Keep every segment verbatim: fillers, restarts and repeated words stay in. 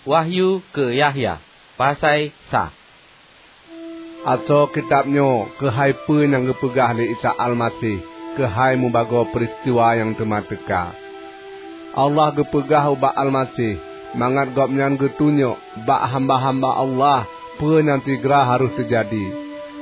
Wahyu keu Yahya, pasai sa. Asoe kitab nyoe keuhai peue nyang geupeugah lé Isa Almaseh keuhai mubagoe peuristiwa nyang teuma teuka. Allah geupeugah ubak Almaseh mangat gobnyan geutunyok bak hamba-hamba Allah peue nyang sigra harôh teujadi.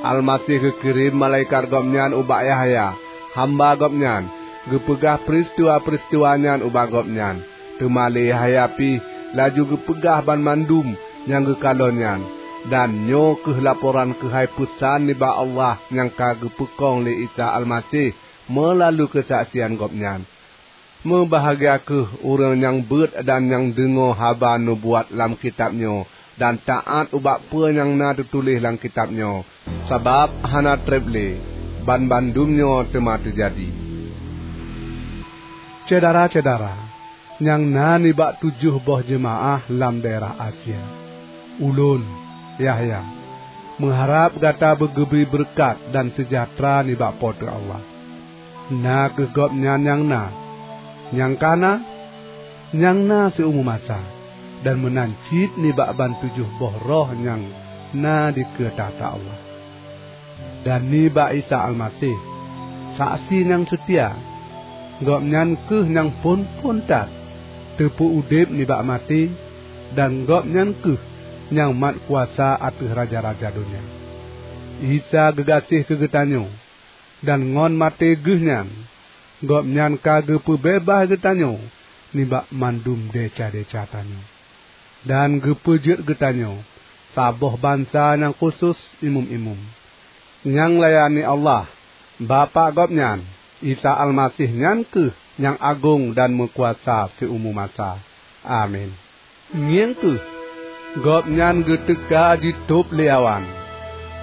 Almaseh geukirém malaikat gobnyan ubak Yahya, hamba gobnyan, geupeugah peuristiwa-peuristiwa nyan ubak gobnyan. Teuma lé Yahya pih laju geupeugah banmandum nyang geukalon nyan. Dan nyoe kheueh laporan keuhai peusan nibak Allah nyang ka geupeukong lé Isa Almaseh meulalu keusaksian Gobnyan. Meubahgia kheueh ureuëng nyang beuet dan nyang deungoe haba nubuat lam kitab nyoe dan taát ubak peue nyang na teutuléh lam kitab nyoe, sabab hana treb lé banmandum nyoe teuma teujadi. Syedara-syedara nyang na nibak tujoh boh jeumaáh lam daerah Asia, ulôn, Yahya, meuharab gata beugeubri beureukat dan seujahteura nibak Po teu Allah. Na kheueh Gobnyan nyang na, nyang ka na, nyang na siumu masa, dan meunan cit nibak ban tujoh boh roh nyang na dikeue takhta Allah. Dan nibak Isa Almaseh, saksi nyang seutia, Gobnyan kheueh nyang phon-phon that teupeu udeb nibak maté, dan Gobnyan kheueh nyang mat kuasa ateueh raja-raja donya. Isa geugaséh keu geutanyoe, dan ngon maté Geuh nyan, Gobnyan ka geupeubeubaih geutanyoe nibak mandum desya-desya tanyoe, dan geupeujeuet geutanyoe saboh bansa nyang khusos, imeum-imeum nyang layani Allah, Bapak Gobnyan. Isa Almaseh nyan kheueh nyang agong dan meukuasa siumu masa. Amin. Ngieng kheueh, Gobnyan geuteuka jitôb lé awan.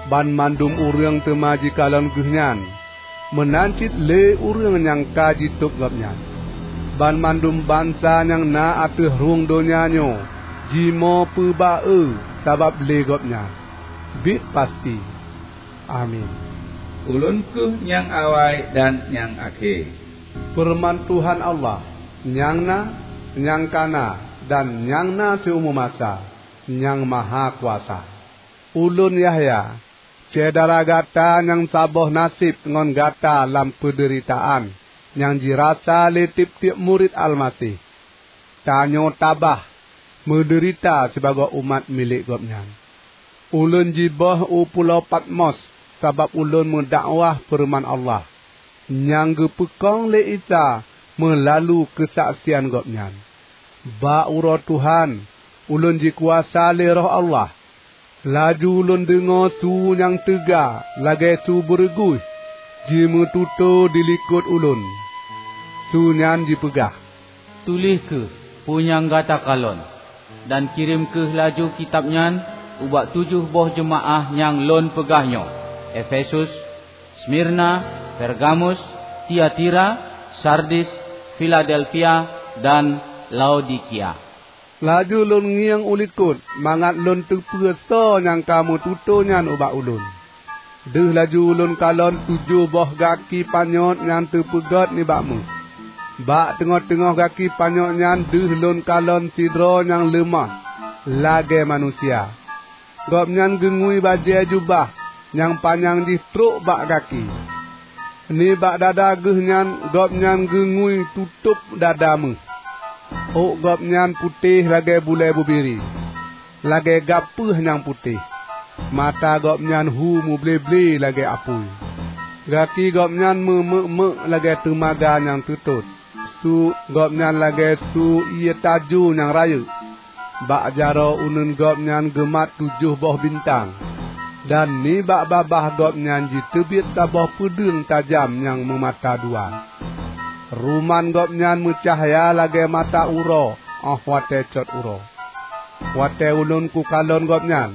Banmandum ureuëng teuma jikalon Geuh nyan, meunan cit lé ureuëng nyang ka jitôb Gobnyan. Banmandum bansa nyang na ateueh rhueng donya nyoe jimoe peubak eu sabab lé Gobnyan. Biet pasti. Amin. Ulôn kheueh nyang awai dan nyang akhé. Feureuman Tuhan Allah, nyang na, nyang ka na, dan nyang na siumu masa, Nyang Mahakuasa. Ulôn, Yahya, syedara gata nyang saboh naseb ngon gata lam peudeuritaan nyang jirasa lé tieb-tieb murit Almaseh. Tanyoe tabah meudeurita sibagoe umat milék Gobnyan. Ulôn jiboh u pulo Patmos sabab ulôn meudakwah feureuman Allah, nyang geupeukong lé Isa meulalu keusaksian Gobnyan. Bak uroe Tuhan, ulôn jikuasa lé Roh Allah. Laju ulôn deungoe su nyang teuga lagée su beureuguih jimeututoe dilikot ulôn. Su nyan jipeugah, "Tuléh kheueh peue nyang gata kalon, dan kirém kheueh laju kitab nyan ubak tujoh boh jeumaáh nyang lôn peugah nyoe: Efesus, Smirna, Pergamus, Tiatira, Sardis, Filadelfia, dan Laodikia." Laju lôn ngieng u likot mangat lôn teupeue soe nyang ka meututoe nyan ubak ulôn. Deuh laju ulôn kalon tujoh boh gaki panyöt nyang teupeugét nibak méuh. Bak teungoh-teungoh gaki panyöt nyan deuh lôn kalon sidroe nyang leumah lagée manusia. Gobnyan geungui bajée jubah nyang panyang jih trok bak gaki. Nibak dada geuh nyan gobnyan geungui tutôb dada méuh. Ôk gobnyan putéh lagée bulée bubiri, lagée gapeuh nyang putéh. Mata gobnyan hu muble-ble lagée apui. Gaki gobnyan meumeuk-meuk lagée teumaga nyang teutot. Su gobnyan lagée su ié taju nyang rayeuk. Bak jaroe uneuen gobnyan geumat tujoh boh bintang, dan nibak babah gobnyan jiteubiet saboh peudeueng tajam nyang meumata dua. Ruman gobnyan meucahya lagée mata uroe óh watée cot uroe. Watée ulôn kukalon gobnyan,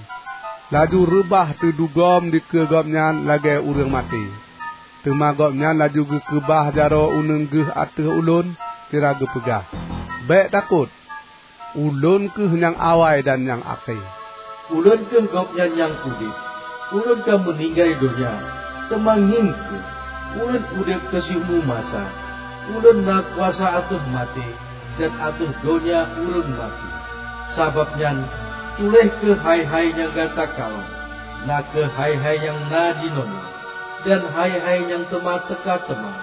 laju reubah teudugom dikeue gobnyan lagée ureuëng maté. Teuma gobnyan laju geukeubah jaroe uneuen geuh ateueh ulôn, sira geupeugah, "Bék takot! Ulôn kheueh nyang awai dan nyang akhé. Ulôn kheueh Gobnyan nyang udeb. Ulôn ka meuninggai donya, teuma ngieng kheueh! Ulôn udeb keu siumu masa. Ulôn na kuasa ateueh maté dan ateueh donya ureuëng maté. Sabab nyan, tuléh kheueh hai-hai nyang gata kalon, na kheueh hai-hai nyang na jinoenyoe, dan hai-hai nyang teuma teuka teuma.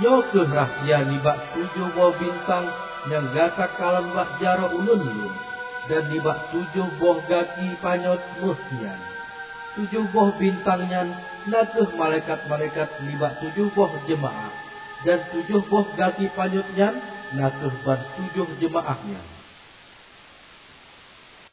Nyoe kheueh rahsia nibak tujoh boh bintang nyang gata kalon bak jaroe uneuen Lôn, dan nibak tujoh boh gaki panyöt méuh nyan. Tujoh boh bintang nyan na kheueh malaikat-malaikat nibak tujoh boh jeumaáh, dan tujoh boh gaki panyöt nyan na kheueh ban tujoh jeumaáh nyan.